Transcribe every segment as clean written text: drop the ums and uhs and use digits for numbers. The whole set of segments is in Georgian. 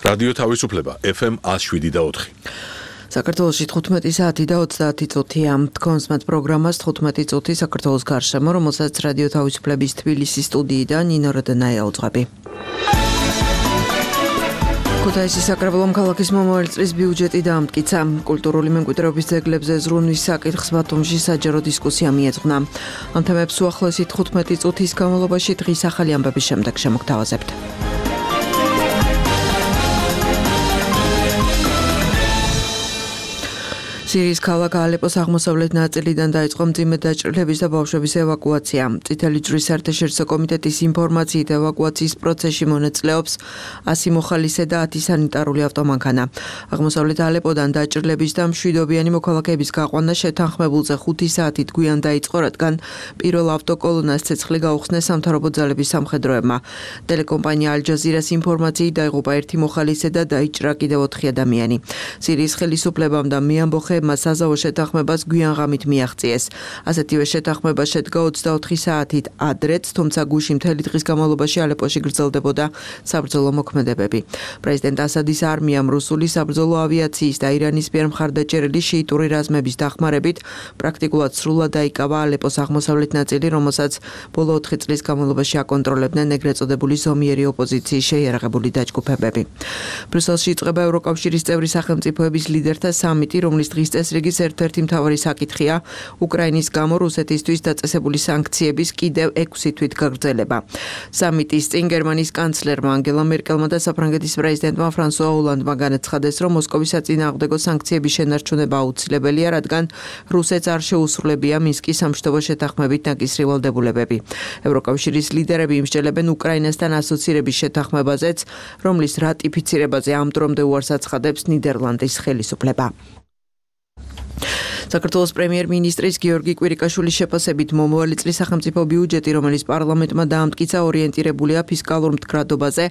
რადიო თავისუფლება FM 107.4. საქართველოში 15 საათი და 30 წუთია. თქვენს მათ პროგრამას 15 წუთი საქართველოს გარშემო, რომელსაც რადიო თავისუფლების თბილისის სტუდიიდან ნინო როდენაია უძღვები. ქუთაისის საკრებულომ ქალაქის მომავალ წლის ბიუჯეტი დაამტკიცა. კულტურული მემკვიდრეობის ძეგლებზე ზრუნვის საკითხს ბათუმში საჯარო დისკუსია მიეძღვნა. ამ თემებს უახლოესი 15 წუთის განმავლობაში დღის ახალი ამბების შემდეგ შემოგთავაზებთ. სირიის ქალაქ ალეპოს აღმოსავლეთ ნაწილიდან დაიწყო მძიმე დაჭრილების და ბავშვების ევაკუაცია. წითელი ჯვრის საერთაშორისო კომიტეტის ინფორმაციით ევაკუაციის პროცესში მონაწილეობს 100 მოხალისე და 10 სანიტარული ავტომანქანა. აღმოსავლეთ ალეპოდან დაჭრილების და მშვიდობიანი მოქალაქეების გაყვანა შეთანხმებულზე 5 საათით გვიან დაიწყო, რადგან პირველ ავტოკოლონას ცეცხლი გაუხსნეს სამთავრობო ძალების სამხედროებმა. ტელეკომპანია ალ-ჯაზირას ინფორმაციით დაიღუპა 1 მოხალისე და დაიჭრა კიდევ 4 ადამიანი. სირიის ხელისუფლებამ და მეამბოხეებმა საზავო შეთანხმებას გვიან ღამით მიაღწიეს. ასეთივე შეთანხმება შედგა 24 საათით ადრეც, თუმცა გუში მთელი დღის განმავლობაში ალეპოში გრძელდებოდა საბრძოლო მოქმედებები. პრეზიდენტ ასადის არმიამ რუსული საბრძოლო ავიაციის და ირანის მიერ მხარდაჭერილი შიიტური რაზმების დახმარებით პრაქტიკულად სრულად დაიკავა ალეპოს აღმოსავლეთ ნაწილი, რომელსაც ბოლო 4 წლის განმავლობაში აკონტროლებდნენ ეგრეთ წოდებული ზომიერი ოპოზიციის შეიარაღებული დაჯგუფებები. ბრიუსელში იწყება ევროკავშირის წევრი სახელმწიფოების ლიდერთა სამიტი, რომლის დღის წესრიგის ერთ-ერთი მთავარი საკითხია უკრაინის გამო რუსეთისთვის დაწესებული სანქციების კიდევ 6 თვით გაგრძელება. სამიტის წინ გერმანიის კანცლერმა ანგელა მერკელმა და საფრანგეთის პრეზიდენტმა ფრანსუა ოლანდმა განაცხადეს, რომ მოსკოვის საწინააღმდეგო სანქციების შენარჩუნება აუცილებელია, რადგან რუსეთს არ შეუსრულებია მინსკის სამშვიდობო შეთანხმებით ნაკისრი ვალდებულებები. ევროკავშირის ლიდერები იმსჯელებენ უკრაინასთან ასოცირების შეთანხმებაზეც, რომლის რატიფიცირებაზე ამ დრომდე უარს აცხადებს ნიდერლანდის ხელისუფლება. საქართველოს პრემიერ-მინისტრის გიორგი კვირიკაშვილის შეფასებით მომავალი წლის სახელმწიფო ბიუჯეტი, რომელიც პარლამენტმა დაამტკიცა, ორიენტირებულია ფისკალურ მდგრადობაზე,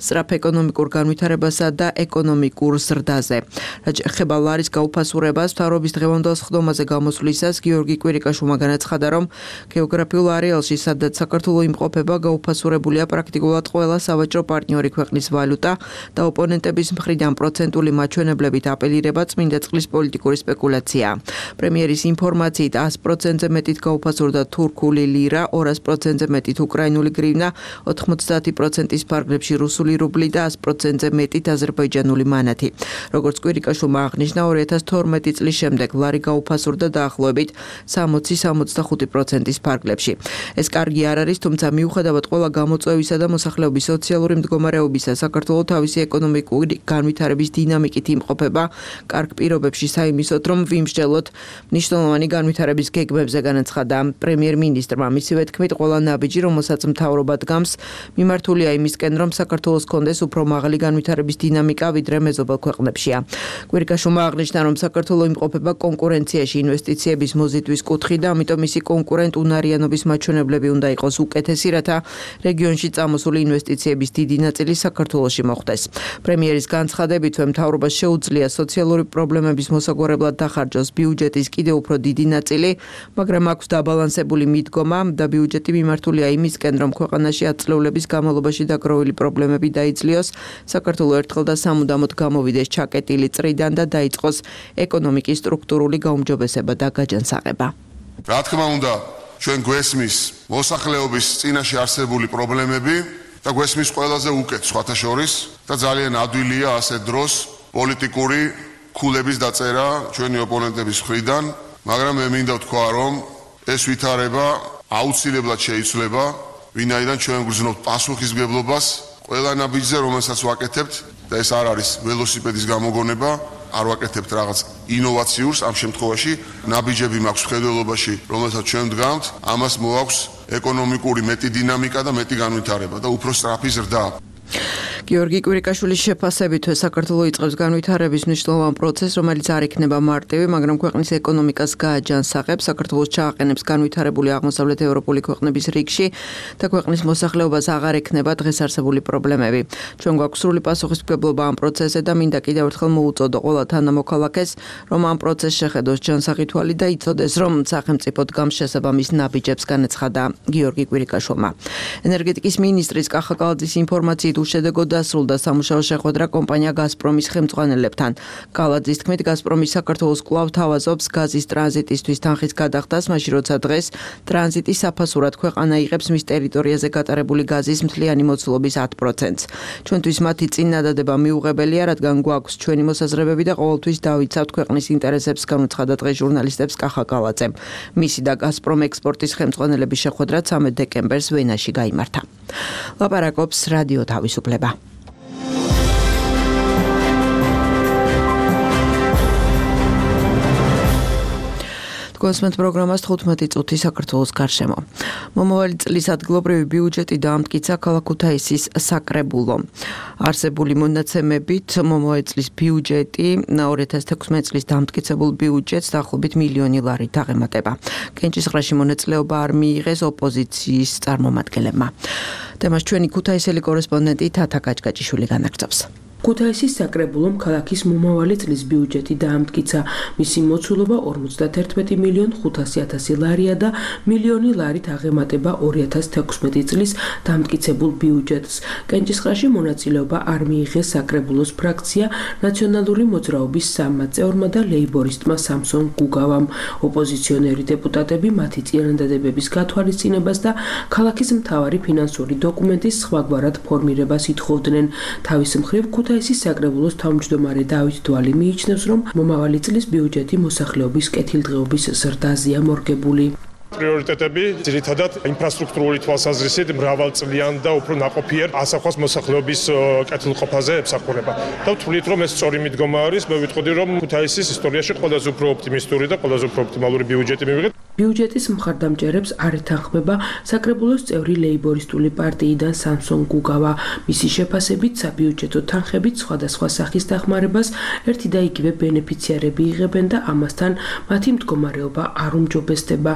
სწრაფ ეკონომიკურ განვითარებასა და ეკონომიკურ ზრდაზე. რაც ეხება ლარის გაუფასურებას, მთავრობის დღევანდელ სხდომაზე გამოსვლისას გიორგი კვირიკაშვილმა განაცხადა, რომ გეოგრაფიულ არეალში, სადაც საქართველო იმყოფება, გაუფასურებულია პრაქტიკულად ყველა სავაჭრო პარტნიორი ქვეყნის ვალუტა და ოპონენტების მხრიდან პროცენტული მაჩვენებლებით აპელირება წმინდა წყლის პოლიტიკური სპეკულაცია. პრემიერის ინფორმაციით 100%-ზე მეტით გაუფასურდა თურქული ლირა, 200%-ზე მეტით უკრაინული გრივნა, 90%-ის ფარგლებში რუსული რუბლი და 100%-ზე მეტით აზერბაიჯანული მანათი. როგორც კვირიკაშვილმა აღნიშნა, 2012 წლის შემდეგ ლარი გაუფასურდა დაახლოებით 60-65%-ის ფარგლებში. ეს კარგი არ არის, თუმცა მიუხედავად ყველა გამოწვევისა და მოსახლეობის სოციალური მდგომარეობისა, საქართველო თავისი ეკონომიკური განვითარების დინამიკით იმყოფება კარგ პირობებში საიმისოდ, რომ ვიმსჯელოთ მნიშვნელოვანი განვითარების გეგმებზე, განაცხადა პრემიერ-მინისტრმა. მისივე თქმით, ყველა ნაბიჯი, რომელსაც მთავრობა დგამს, მიმართულია იმისკენ, რომ საქართველოს კონდეს უფრო მაღალი განვითარების დინამიკა, ვიდრე მეზობელ ქვეყნებშია. კვირიკაშვილმა აღნიშნა, რომ საქართველო იმყოფება კონკურენციაში ინვესტიციების მოზიდვის კუთხით და ამიტომ მისი კონკურენტუნარიანობის მაჩვენებლები უნდა იყოს უკეთესი, რათა რეგიონში წამოსული ინვესტიციების დიდი ნაწილი საქართველოში მოხდეს. პრემიერის განცხადებით, მთავრობას შეუძლია სოციალური პრობლემების მოსაგვარებლად დახარჯოს ბიუჯეტის კიდევ უფრო დიდი ნაწილი, მაგრამ აქვს დაბალანსებული მიდგომა და ბიუჯეტი მიმართულია იმისკენ, რომ ქვეყანაში ათწლეულების განმავლობაში დაგროვილი პრობლემები დაიძლიოს, საქართველო ერთხელ და სამუდამოდ გამოვიდეს ჩაკეტილი წრიდან და დაიწყოს ეკონომიკის სტრუქტურული გაუმჯობესება და გაჯანსაღება. რა თქმა უნდა, ჩვენ გვესმის მოსახლეობის წინაშე არსებული პრობლემები და გვესმის ყველაზე უკეთ სხვათა შორის და ძალიან ადვილია ასეთ დროს პოლიტიკური ქულების დაწერა ჩვენი ოპონენტების მხრიდან, მაგრამ მე მინდა ვთქვა, რომ ეს ვითარება აუცილებლად შეიცვლება, ვინაიდან ჩვენ გვგრძნობთ პასუხისმგებლობას ყველა ნაბიჯზე, რომელსაც ვაკეთებთ და ეს არ არის ველოსიპედის გამოგონება, არ ვაკეთებთ რაღაც ინოვაციურს, ამ შემთხვევაში ნაბიჯები მაქვს მხედველობაში, რომელსაც ჩვენ ვდგამთ, ამას მოაქვს ეკონომიკური მეტი დინამიკა და მეტი განვითარება და უფრო სწრაფი ზრდა. გიორგი კვირიკაშვილის შეფასებით საქართველო იწყებს განვითარების მნიშვნელოვან პროცესს, რომელიც არ იქნება მარტივი, მაგრამ ქვეყნის ეკონომიკას გააჯანსაღებს, საქართველოს ჩააყენებს განვითარებული აღმოსავლეთ ევროპული ქვეყნების რიგში და ქვეყნის მოსახლეობას აღარ ექნება დღეს არსებული პრობლემები. ჩვენ გვაქვს სრული პასუხისმგებლობა ამ პროცესზე და მინდა კიდევ ერთხელ მოუწოდო ყველა თანამოქალაქეს, რომ ამ პროცესს შეხედოს ჯანსაღი თვალი და იცოდეს, რომ სახელმწიფო დგამს შესაბამის ნაბიჯებს, განაცხადა გიორგი კვირიკაშვილმა. ენერგეტიკის მინისტრის კახა კალაძის ინფორმაციით უშედეგო დასრულდა სამუშაო შეხვედრა კომპანია გაზპრომის ხელმძღვანელებთან. კალაძის თქმით, გაზპრომი საქართველოს კვლავ თავაზობს გაზის ტრანზიტისთვის თანხის გადახდას, მაშინ როცა დღეს ტრანზიტი საფასურად ქვეყანა იღებს მის ტერიტორიაზე გატარებული გაზის მთლიანი მოცულობის 10%-ს. ჩვენთვის მათი წინადადება მიუღებელია, რადგან გვაქვს ჩვენი მოსაზრებები და ყოველთვის დავიცავთ ქვეყნის ინტერესებს, განუცხადა დღეს ჟურნალისტებს კახა კალაძემ. მისი და გაზპრომ ექსპორტის ხელმძღვანელების შეხვედრა 13 დეკემბერს ვენაში გაიმართა. ლაპარაკობს რადიო თავისუფლება. კონსმენტ პროგრამას 15 წუთი საქართველოს გარშემო. მომავალი წლის ადგილობრივი ბიუჯეტი დაამტკიცა ქალაქ ქუთაისის საკრებულო. არსებული მონაცემებით მომავალი წლის ბიუჯეტი 2016 წლის დაამტკიცებულ ბიუჯეტს დაახლოებით მილიონი ლარით აღემატება. კენჭისყრაში მონაწილეობა არ მიიღეს ოპოზიციის წარმომადგენლებმა. თემას ჩვენი ქუთაისელი კორესპონდენტი თათა კაჭკაჭიშვილი განაგრძობს. ქუთაისის საკრებულომ ქალაქის მომავალი წლის ბიუჯეტი დაამტკიცა. მისი მოცულობა 51.500.000 ლარია და მილიონი ლარით აღემატება 2016 წლის დაამტკიცებულ ბიუჯეტს. კენჭისყრაში მონაწილეობა არ მიიღეს საკრებულოს ფრაქცია ნაციონალური მოძრაობის 3 წევრმა და ლეიბორისტმა სამსონ გუგავამ. ოპოზიციონერი დეპუტატები მათი წინადადებების გათვალისწინებას და ქალაქის მთავარი ფინანსური დოკუმენტის სხვაგვარად ფორმირებას ითხოვდნენ. თავის მხრივ ქუთაისის საკრებულოს თავმჯდომარე დავით დვალი მიიჩნევს, რომ მომავალი წლის ბიუჯეტი მოსახლეობის კეთილდღეობის ზრდაზეა მორგებული. პრიორიტეტები ძირითადად ინფრასტრუქტურული თვალსაზრისით მრავალწლიან და უფრო ნაყოფიერ ასახავს მოსახლეობის კეთილყოფაზე ემსახურება. და ვთვლით, რომ ეს სწორი მიდგომა არის, მე ვიტყოდი, რომ ქუთაისის ისტორიაში ყველაზე უფრო ოპტიმისტური და ყველაზე უფრო ოპტიმალური ბიუჯეტი მივიღეთ. ბიუჯეტის მხარდამჭერებს არ ეთანხმება საკრებულოს წევრი ლეიბორისტული პარტიიდან სამსონ გუგავა. მისი შეფასებით, საბიუჯეტო თანხებით სხვადასხვა სახის დახმარებას ერთი და იგივე ბენეფიციარები იღებენ და ამასთან მათი მდგომარეობა არ უმჯობესდება.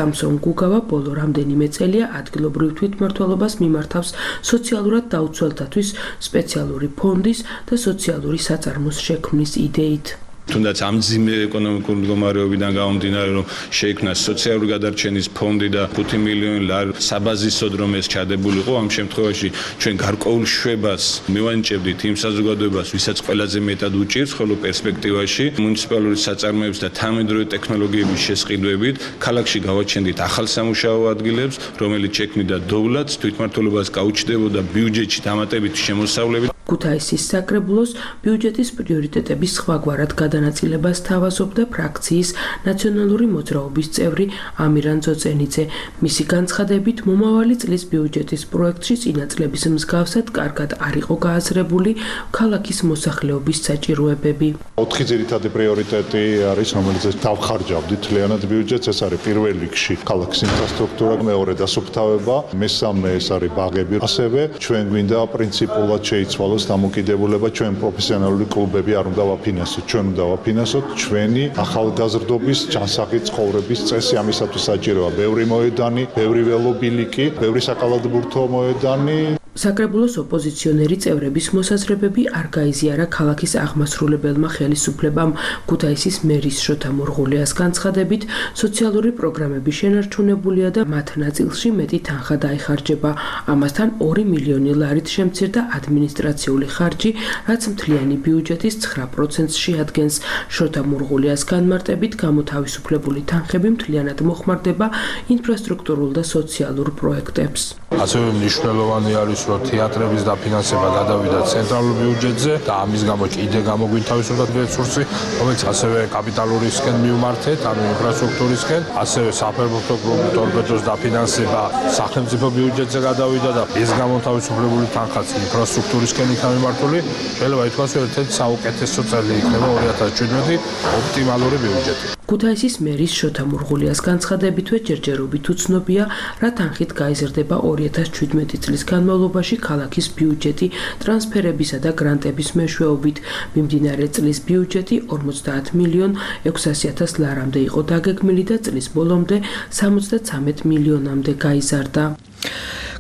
სამსონ გუგავა ბოლო რამდენიმე წელია ადგილობრივ თვითმმართველობას მიმართავს სოციალურად დაუცველთათვის სპეციალური ფონდის და სოციალური საწარმოს შექმნის იდეით. თუნდაც ამ ძიმე ეკონომიკური მდგომარეობიდან გამომდინარე, რომ შეიქმნა სოციალური გადარჩენის ფონდი და 5 მილიონი ლარი საბაზისოდ რომ ეს ჩადებულიყო, ამ შემთხვევაში ჩვენ გარკვეულ შვებას მივანიჭებდით იმ საზოგადოებას, ვისაც ყველაზე მეტად უჭირს, ხოლო პერსპექტივაში მუნიციპალური საწარმოების და თანამედროვე ტექნოლოგიების შესყიდვებით ქალაქში გავაჩენდით ახალ სამუშაო ადგილებს, რომელიც შექმნიდა დოვლათს, თვითმმართველობას გაუჩნდებოდა ბიუჯეტში დამატებითი შემოსავლებით. ქუთაისის საკრებულოს ბიუჯეტის პრიორიტეტების სხვაგვარად გადანაწილებას თავაზობდა ფრაქციის ნაციონალური მოძრაობის წევრი ამირან ძოწენიძე. მისი განცხადებით, მომავალი წლის ბიუჯეტის პროექტში წინა წლების მსგავსად კარგად არ იყო გააზრებული ქალაქის მოსახლეობის საჭიროებები. 4 ძირითადი პრიორიტეტი არის, რომელიც დავხარჯავდით თლიანად ბიუჯეტს. ეს არის პირველ რიგში ქალაქის ინფრასტრუქტურა, მეორე დასუფთავება, მესამე ეს არის ბაღები. ასევე ჩვენ გვინდა პრინციპულად შეიცვალოს დამოკიდებულება, ჩვენ პროფესიონალური კლუბები არ უნდა ვაფინანსოთ, ჩვენ უნდა ვაფინანსოთ ჩვენი ახალგაზრდობის ჯანსაღი ცხოვრების წესი. ამისათვის საჭიროა ბევრი მოედანი, ბევრი ველობილიკი, ბევრი საკალათბურთო მოედანი. საკრებულოს ოპოზიციონერი წევრების მოსაზრებები არ გაიზიარა ქალაქის აღმასრულებელმა ხელისუფლებამ. ქუთაისის მერის შოთა მურღულიას განცხადებით, სოციალური პროგრამები შენარჩუნებულია და მათ ნაწილში მეტი თანხა დაიხარჯება. ამასთან 2 მილიონი ლარით შემცირდა ადმინისტრაციული ხარჯი, რაც მთლიანი ბიუჯეტის 9%-ს შეადგენს. შოთა მურღულიას განმარტებით, გამოთავისუფლებული თანხები მთლიანად მოხმარდება ინფრასტრუქტურულ და სოციალურ პროექტებს. ასევე მნიშვნელოვანი არის, რომ თეატრების დაფინანსება გადავიდა ცენტრალურ ბიუჯეტზე და ამის გამო კიდე გამოგვინთავისუფლდა რესურსი, რომელიც ასევე კაპიტალურისკენ მივმართეთ, ანუ ინფრასტრუქტურისკენ, ასევე საფეხბურთო კლუბ ტორპედოს დაფინანსება სახელმწიფო ბიუჯეტზე გადავიდა და ეს გამოთავისუფლებული თანხაც ინფრასტრუქტურისკენ იქნა მიმართული. შეიძლება ითქვას, რომ ერთ-ერთი საუკეთესო წელი იქნება 2017 ოპტიმალური ბიუჯეტი. ქუთაისის მერის შოთა მურღულიას განცხადებითვე ჯერჯერობით უცნობია, რა თანხით გაიზრდება 2017 წლის განმავლობაში ქალაქის ბიუჯეტი ტრანსფერებისა და გრანტების მეშვეობით. მიმდინარე წლის ბიუჯეტი 50.600.000 ლარამდე იყო დაგეგმილი და წლის ბოლომდე 73 მილიონამდე გაიზარდა.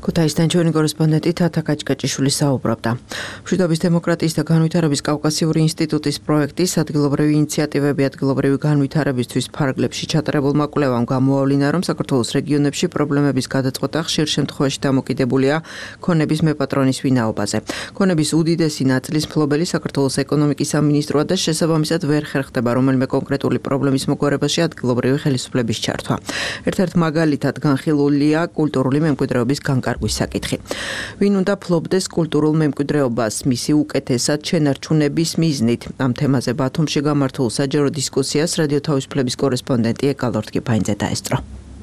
ქუთაისიდან ჩვენი კორესპონდენტი თათა კაჭკაჭიშვილი საუბრობდა. მშვიდობის დემოკრატიის და განვითარების კავკასიური ინსტიტუტის პროექტის ადგილობრივი ინიციატივები ადგილობრივი განვითარებისთვის ფარგლებში ჩატარებულმა კვლევამ გამოავლინა, რომ საქართველოს რეგიონებში პრობლემების გადაწყვეტა ხშირ შემთხვევაში დამოკიდებულია ქონების მეპატრონის ვინაობაზე. ქონების უდიდესი ნაწილის მფლობელი საქართველოს ეკონომიკის სამინისტროა და შესაბამისად ვერ ხერხდება რომელიმე კონკრეტული პრობლემის მოგვარებაში ადგილობრივი ხელისუფლების ჩართვა. ერთ-ერთ მაგალითად განხილულია კულტურული მემკვიდრეობის განკარგვის საკითხი. ვინ უნდა ფლობდეს კულტურულ მემკვიდრეობას მისი უკეთესად შენარჩუნების მიზნით? ამ თემაზე ბათუმში გამართულ საჯარო დისკუსიას რადიო თავისუფლების კორესპონდენტი ეკალორთ კიფაინძე დაესწრო.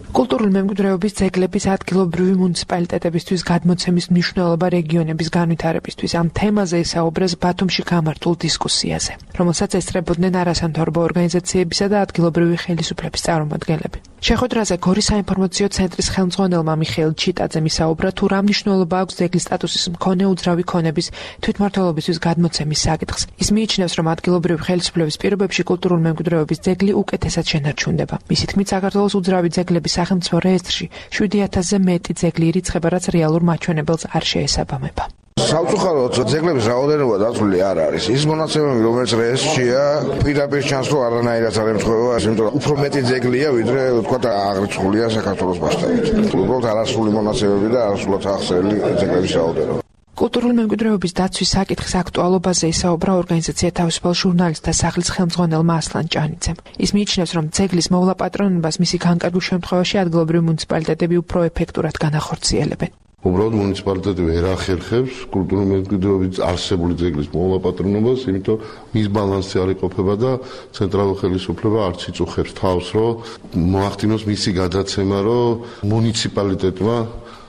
კულტურული მემკვიდრეობის ძეგლების ადგილობრივი მუნიციპალიტეტებისთვის გადმოცემის მნიშვნელობა რეგიონების განვითარებისთვის ამ თემაზე ისაუბრეს ბათუმში გამართულ დისკუსიაზე, რომელსაც ესწრებოდნენ არასამთავრობო ორგანიზაციებისა და ადგილობრივი ხელისუფლების წარმომადგენლები. შეხვედრაზე გორის საინფორმაციო ცენტრის ხელმძღვანელმა მიხეილ ჩიტაძემ ისაუბრა თუ რა მნიშვნელობა აქვს ძეგლის სტატუსის მქონე უძრავი ქონების თვითმმართველობისთვის გადმოცემის საკითხს. ის მიიჩნევს, რომ ადგილობრივი ხელისუფლების პირობებში კულტურული მემკვიდრეობის ძეგლი უკეთესად შენარჩუნდება. მისი თქმით, საქართველოს უძრავი ძეგლების სახელმწიფო რეესტრში 7000-ზე მეტი ძეგლი ირიცხება, რაც რეალურ მაჩვენებელს არ შეესაბამება. Საუწუხაროდ ძეგლების რაოდენობა დაცული არ არის. ის მონაცემები, რომელიც რეესტრშია, პირდაპირ ჩანს, რომ არანაირად არ ემთხვევა, იმიტომ რომ უფრო მეტი ძეგლია, ვიდრე თქვა აღრიცხულია საქართველოს მასშტაბით. უბრალოდ არასრული მონაცემები და არასრულად ახსნილი ძეგლების რაოდენობა. კულტურული მემკვიდრეობის დაცვის საკითხის აქტუალობაზე ისაუბრა ორგანიზაცია თავისუფალ ჟურნალისტთა სახლის ხელმძღვანელმა ასლან ჭანიძემ. ის მიიჩნევს, რომ ძეგლის მოვლა პატრონობას მისი განკარგვის შემთხვევაში ადგილობრივი მუნიციპალიტეტები უფრო ეფექტურად განახორციელებენ. უბრალოდ მუნიციპალიტეტი ვერ ახერხებს კულტურული მემკვიდრეობის არსებული ძეგლის მოვლა პატრონობას, იმიტომ მის ბალანსი არ იყოფება და ცენტრალურ ხელისუფლება არც იწუხებს თავს, რომ მოახდინოს მისი გადაცემა, რომ მუნიციპალიტეტმა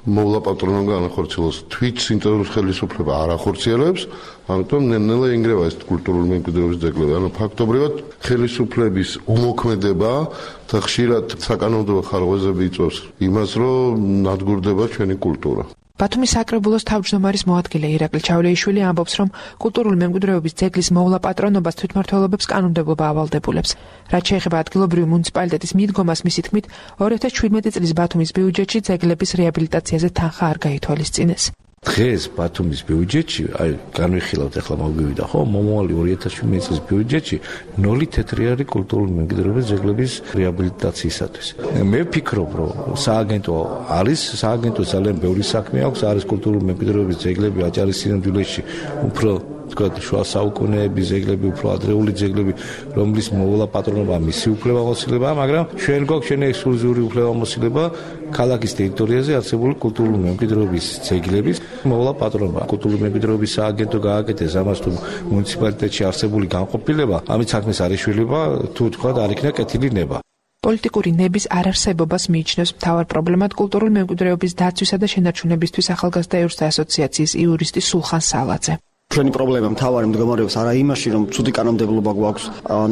მოვლა პატრონობა განახორციელოს. თვით ცენტრალური ხელისუფლება არ ახორციელებს, ამიტომ ნელ-ნელა ინგრევა ეს კულტურული მემკვიდრეობის ძეგლები. ანუ ფაქტობრივად ხელისუფლების უმოქმედება და ხშირად საკანონმდებლო ხარვეზები იწვევს იმას, რომ ნადგურდება ჩვენი კულტურა. ბათუმის საკრებულოს თავმჯდომარის მოადგილე ირაკლი ჩავლეიშვილი ამბობს, რომ კულტურული მემკვიდრეობის ძეგლის მოვლა პატრონობას თვითმმართველობებს კანონმდებლობა ავალდებულებს. რაც შეეხება ადგილობრივი მუნიციპალიტეტის მიდგომას, მისი თქმით, 2017 წლის ბათუმის ბიუჯეტში ძეგლების რეაბილიტაციაზე თანხა არ გაითვალისწინეს. დღეს ბათუმის ბიუჯეტში, აი განვიხილავთ ახლა მოგივიდა ხო, მომავალი 2017 წლის ბიუჯეტში 0 თეთრი არის კულტურული მემკვიდრეობის ძეგლების რეაბილიტაციისათვის. მე ვფიქრობ, რომ სააგენტო არის, სააგენტოს ძალიან ბევრი საქმე აქვს, არის კულტურული მემკვიდრეობის ძეგლები აჭარის სინამდვილეში უფრო თქვა შუა საუკუნეების ძეგლები, უფრო ადრეული ძეგლები, რომლის მოვლა პატრონობა მისი უფლებამოსილებაა, მაგრამ ჩვენ გვაქვს ჩვენი ექსკლუზიური უფლებამოსილება ქალაქის ტერიტორიაზე არსებული კულტურული მემკვიდრეობის ძეგლების მოვლა პატრონობა. კულტურული მემკვიდრეობის სააგენტო გააკეთეს ამას თუ მუნიციპალიტეტში არსებული განყოფილება, ამით საქმეს არ ეშველება, თუ თქვა არ იქნა კეთილი ნება. პოლიტიკური ნების არარსებობას მიიჩნევს მთავარ პრობლემად კულტურული მემკვიდრეობის დაცვისა და შენარჩუნებისთვის ახალგაზრდა იურისტთა ასოციაციის იურისტი სულხან სალაძე. ჩვენი პრობლემა მთავარი მდგომარეობს არა იმაში, რომ ცუდი კანონმდებლობა გვაქვს,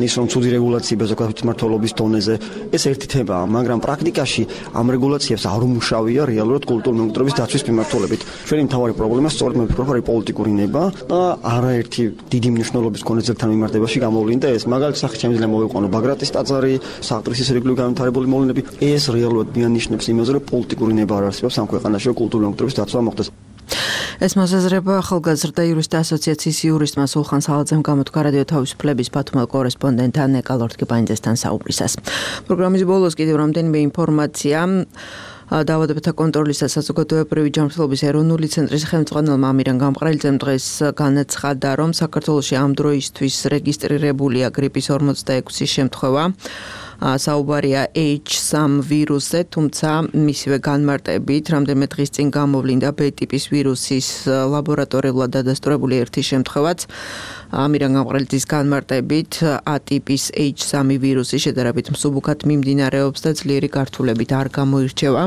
ის რომ ცუდი რეგულაციები ზოგადად თვითმმართველობის დონეზე, ეს ერთი თემაა, მაგრამ პრაქტიკაში ამ რეგულაციებს არ უმუშავია რეალურად კულტურული მემკვიდრეობის დაცვის მიმართულებით. ჩვენი მთავარი პრობლემა სწორედ მე ვფიქრობ, არის პოლიტიკური ნება და არაერთი დიდი მნიშვნელობის მქონე ძეგლთან მიმართებაში გამოვლინდა ეს. მაგალითად, სახით შემიძლია მოვიყვანო ბაგრატის ტაძარი, საყდრის რეგულარული განვითარებული მოვლენები, ეს რეალურად მიანიშნებს იმაზე, რომ პოლიტიკური ნება არ არსებობს ამ ქვეყანაში, რომ კულტურული მემკვიდრეობის დაცვა მოხდეს. ეს მოსაზრება ახალგაზრდა იურისტთა ასოციაციის იურისტმა სულხან სალაძემ გამოთქვა რადიო თავისუფლების ბათუმელ კორესპონდენტთან ეკალორთ კიფაინძესთან საუბრისას. პროგრამის ბოლოს კიდევ რამდენიმე ინფორმაცია. დაავადებათა კონტროლის და საზოგადოებრივი ჯანმრთელობის ეროვნული ცენტრის ხელმძღვანელმა ამირან გამყრელიძემ დღეს განაცხადა, რომ საქართველოში ამ დროისთვის რეგისტრირებულია გრიპის 46 შემთხვევა. საუბარია H3 ვირუსზე, თუმცა მისივე განმარტებით რამდენიმე დღის წინ გამოვლინდა B ტიპის ვირუსის ლაბორატორიულად დადასტურებული ერთი შემთხვევაც. ამირან გამყრელიძის განმარტებით A ტიპის H3 ვირუსი შედარებით მსუბუქად მიმდინარეობს და ძლიერი გართულებით არ გამოირჩევა.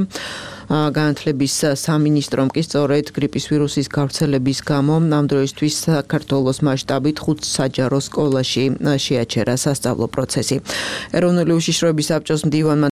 განათლების სამინისტრომ კი სწორედ გრიპის ვირუსის გავრცელების გამო ამ დროისთვის საქართველოს მასშტაბით 5 საჯარო სკოლაში შეაჩერა სასწავლო პროცესი. ეროვნული უშიშროების საბჭოს მდივანმა